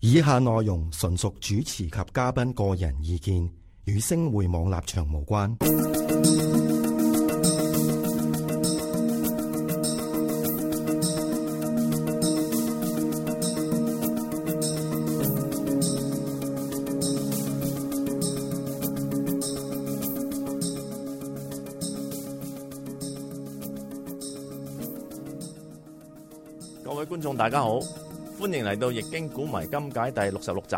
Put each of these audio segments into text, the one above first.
以下內容純屬主持及嘉賓個人意見，與星匯網立場無關。各位觀眾大家好，歡迎嚟到《易經古謎今解》第66集。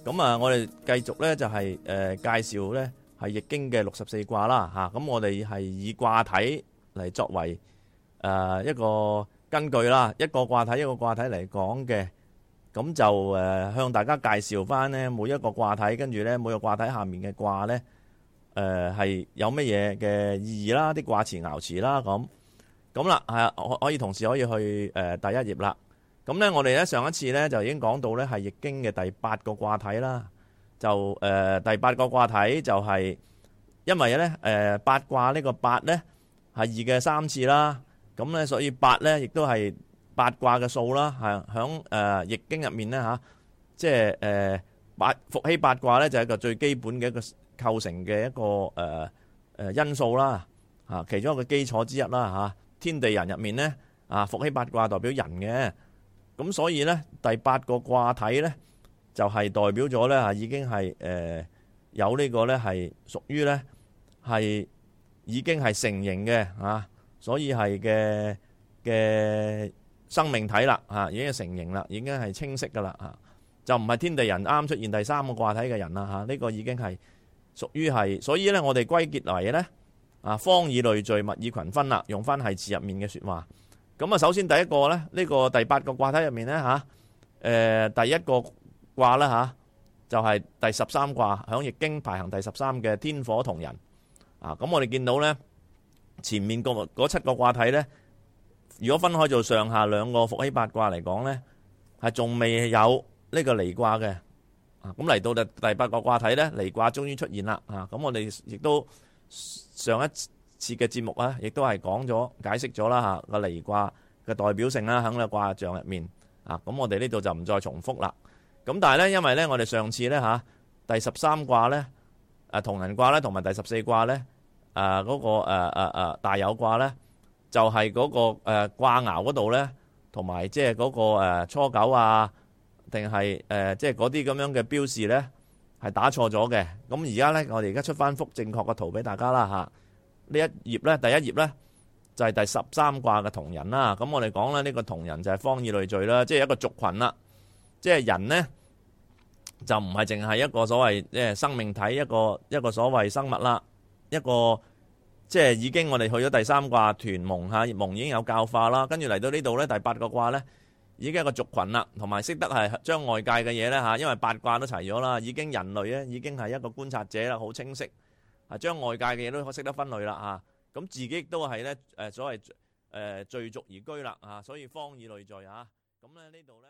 咁啊，我哋繼續咧就係介紹咧係《易經》嘅64卦啦嚇。咁我哋係以卦體嚟作為一個根據啦，一個卦體一個卦體嚟講嘅。咁就向大家介紹翻咧每一個卦體，跟住咧每個卦體下面嘅卦咧係有乜嘢嘅意義啦，啲卦辭爻辭啦咁啦，係啊，可以同時可以去第一頁啦。咁咧，我哋咧上一次咧就已經講到咧係《易經》嘅第8個卦體啦。就第8個卦體就係因為咧八卦呢個8咧係2嘅3次啦。咁咧所以8咧亦都係八卦嘅數啦。係響《易經》入面咧嚇，即係伏羲八卦咧就係一個最基本嘅一個構成嘅一個因素啦。嚇，其中一個基礎之一啦嚇。天地人入面咧，伏羲八卦代表人嘅，咁所以咧第8個卦體咧就係代表咗咧已經係有呢個咧係屬於咧係已經係成形嘅所以係嘅生命體啦已經係成形啦，已經係清晰噶啦就唔係天地人啱出現第3個卦體嘅人啦呢個已經係屬於係，所以咧我哋歸結為咧。方以類聚，物以群分啦，用翻繫辭入面嘅說話。咁啊，首先第一個咧，呢個第8個卦體入面咧第一個卦啦就係第13卦，響易經排行第13嘅天火同人。咁我哋見到咧前面嗰7個卦體咧，如果分開做上下兩個伏羲八卦嚟講咧，係仲未有呢個離卦嘅。咁嚟到第8個卦體咧，離卦終於出現啦。咁我哋亦都。上一次嘅節目亦都係講咗解釋咗啦個離卦嘅代表性啦，喺個卦象入面咁我哋呢度就唔再重複啦。咁但係咧，因為咧我哋上次咧第13卦咧同人卦咧，同埋第14卦咧嗰個大有卦咧，就係嗰個卦爻嗰度咧，同埋即係嗰個初九定係即係嗰啲咁樣嘅標示咧。係打錯咗嘅，咁而家咧，我哋而家出翻幅正確嘅圖俾大家啦呢一頁咧，第一頁咧就係第13卦嘅同人啦。咁我哋講咧呢個同人就係方以類聚啦，即係一個族群啦。即係人呢，就唔係淨係一個所謂即係生命體，一個所謂生物啦，一個即係已經我哋去咗第3卦屯蒙蒙已經有教化啦，跟住嚟到呢度咧第8個卦咧。已經係一個族群啦，同埋識得係將外界嘅嘢咧因為八卦都齊咗啦，已經人類咧已經係一個觀察者啦，好清晰將外界嘅嘢都識得分類啦咁自己都係咧所謂聚族而居啦所以方以類聚咁咧呢度咧。